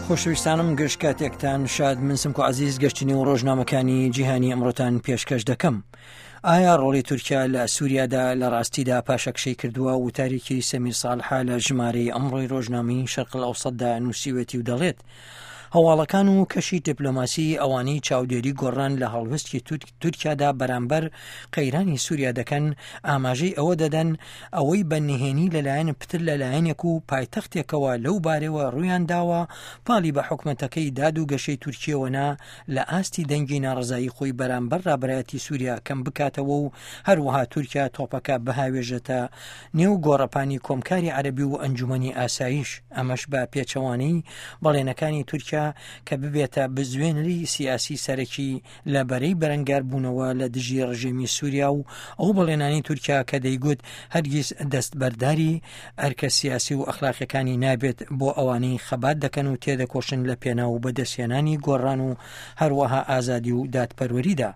خۆشەویستانم گشت کاتێکتان شاد من سمکۆ عزیز گەشتنی و ڕۆژنامەکانی جیهانی ئەمڕۆتان پێشکەش دەکەم. ئایا ڕۆڵی تورکیا لە سووریادا لە ڕاستیدا پاشەکشەی کردووە وتارێکی سەمیر ساڵحە لە ژمارەی ئەمڕۆی ڕۆژنامەی شەرق ئەوسەتدا نووسیوێتی و دەڵێت هەواڵەکان و کەشی دیپلۆماسی ئەوانەی چاودێری گۆڕان لە هەڵوێستی تورکیادا بەرامبەر قەیرانی سووریا دەکەن ئاماژەی ئەوە دەدەن ئەوەی بە نهێنی لەلایەن پتر لە لایەنێک و پایتەختێکەوە لەو بارەوە ڕوویان داوە پاڵی بە حکومەتەکەی داد و گەشەی تورکیەوە نا لە ئاستی دەنگی ناڕەزایی خۆی بەرامبەر ڕابەرایەتی سووریا کەم بکاتەوە و هەروەها تورکیا تۆپەکە بهاوێژێتە نێو گۆڕەپانی کۆمکاری عەرەبی و ئەنجومەنی ئاسایش، ئەمەش بە پێچەوانەی بەڵێنەکانی تورکیا کە ببێتە بزوێنەری سیاسی سەرەکی لە بەرەی بەرەنگاربوونەوە لە دژی ڕژێمی سووریا و ئەو بەڵێنانەی تورکیا کە دەیگوت هەرگیز دەستبەرداری ئەرکە سیاسی و ئەخلاقیەکانی نابێت بۆ ئەوانەی خەبات دەکەن و تێدەکۆشن لە پێناو بەدەستهێنانی گۆڕان و هەروەها ئازادی و دادپەروەریدا.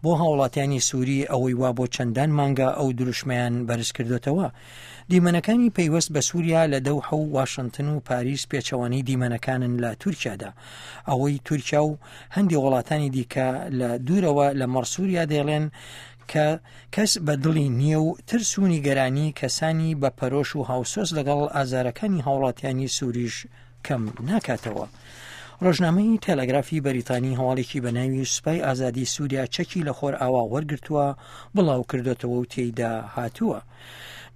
بۆ هاوڵاتیانی سووری ئەوەی وا بۆ چەندان مانگە ئەو دروشمەیان بەرزکردۆتەوە. دیمەنەکانی پەیوەست بە سووریا لە دەوحە و واشنتن و پاریس پێچەوانەی دیمەنەکانن لە تورکیادا. ئەوەی تورکیا و هەندێ وڵاتانی دیکە لە دوورەوە لە مەڕ سووریا دەیڵێن کە کەس بە دڵی نییە و ترس و نیگەرانی کەسانی بە پەرۆش و هاوسۆز لەگەڵ ئازارەکانی هاوڵاتیانی سووریش کەم ناکاتەوە. ڕۆژنامەی تەلەگرافی بەریتانی هەواڵێکی بە ناوی سوپای ئازادی سووریا چەکی لە خۆرئاوا وەرگرتووە بڵاو کردۆتەوە و تێیدا هاتووە.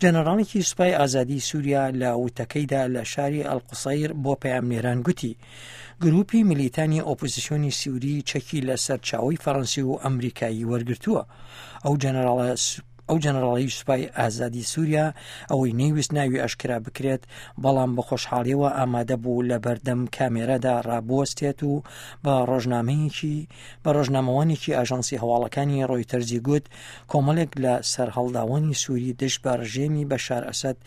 جەنەڕاڵێکی سوپای ئازادی سووریا لە وتەکەیدا لە شاری ئەلقوسەیر بۆ پەیامنێران گوتی گروپی میلیتانی ئۆپۆزیسیۆنی سووری چەکی لە سەرچاوەی فەڕەنسی و ئەمریکایی وەرگرتووە. ئەو جەنەڕاڵە ئەو جەنەڕاڵەی سوپای ئازادی سووریا ئەوەی نەیویست ناوی ئاشکرا بکرێت، بەڵام بە خۆشحاڵیەوە ئامادە بوو لە بەردەم کامێرادا ڕابوەستێت و بە ڕۆژنامەیەکی بە ڕۆژنامەوانێکی ئاژانسی هەواڵەکانی ڕۆیتەرزی گوت کۆمەڵێک لە سەرهەڵداوانی سووری دژ بە ڕژێمی بەشار ئەسەد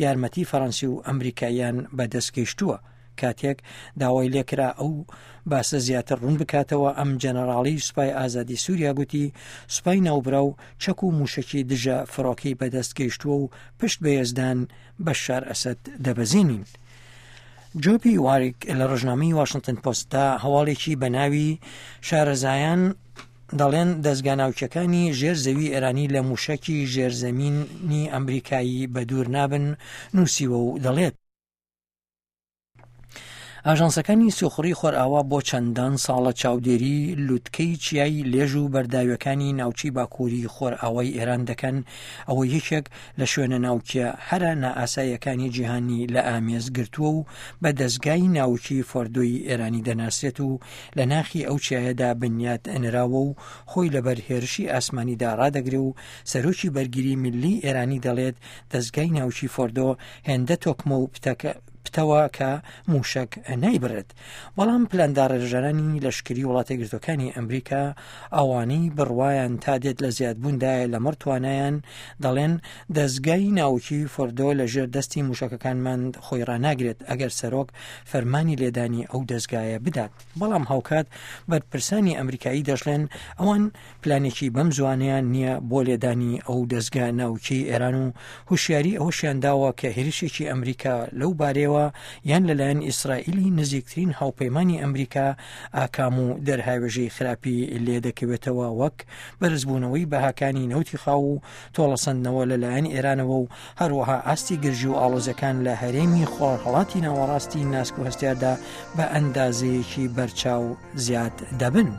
یارمەتی فەڕەنسی و ئەمریکاییان بەدەست گەیشتووە. کاتێک داوای لێکرا ئەو باسە زیاتر ڕوون بکاتەوە ئەم جەنەراڵی سوپای ئازادی سووریا گوتی سوپای ناوبراو چەک و موشەکی دژە فڕۆکەی بەدەست گەیشتووە و پشت بە یەزدان بەشار ئەسەد دەبەزێنین. جۆپی واریک لە ڕۆژنامەی واشنتن پۆستدا هەواڵێکی بە ناوی شارەزایان دەڵێن دەزگا ناوکیەکانی ژێر زەوی ئێرانی لە موشەکی ژێرزەمینی ئەمریکایی بەدوور نابن نووسیوە و دەڵێت ئاژانسەکانی سیخوڕی خۆرئاوا بۆ چەندان ساڵە چاودێری لوتکەی چیای لێژ و بەرداویەکانی ناوچەی باکووری خۆرئاوای ئێران دەکەن، ئەوە یەکێک لە شوێنە ناوکیە هەرە نائاساییەکانی جیهانی لە ئامێز گرتووە و بە دەزگای ناوکی فۆردۆی ئێرانی دەناسرێت و لە ناخی ئەو چیایەدا بنیات نراوە و خۆی لەبەر هێرشی ئاسمانیدا ڕادەگرێ و سەرۆکی بەرگری میللی ئێرانی دەڵێت دەزگای ناوکی فۆردۆ هێندە تۆکمە و پتەوە کە موشک نایبڕێت. بەڵام پلانداڕێژەرانی لەشکری وڵاتەیەکگرتووەکانی ئەمریکا ئەوانەی بڕوایان تا دێت لە زیادبووندایە لەمەڕ توانایان دەڵێن دەزگای ناوکی فۆردۆ لە ژێر دەستی موشەکەکانمان خۆی ڕاناگرێت ئەگەر سەرۆک فەرمانی لێدانی ئەو دەزگایە بدات. بەڵام هاوکات بەرپرسانی ئەمریکایی دەشڵێن ئەوان پلانێکی بەم زوانەیان نییە بۆ لێدانی ئەو دەزگا ناوکیەی ئێران و هوشیاری ئەوەشیان داوە کە هێرشێکی ئەمریکا لەو بارەیەوە یان لەلایەن ئیسرائیلی نزیکترین هاوپەیمانی ئەمریکا ئاکام و دەرهاوێژەی خراپی لێدەکەوێتەوە وەک بەرزبوونەوەی بەهاکانی نەوتی خاو و تۆڵەسەندنەوە لەلایەن ئێرانەوە و هەروەها ئاستی گرژی و ئاڵۆزیەکان لە هەرێمی خۆرهەڵاتی ناوەڕاستی ناسک و هەستیاردا بە ئەندازەیەکی بەرچاو زیاد دەبن.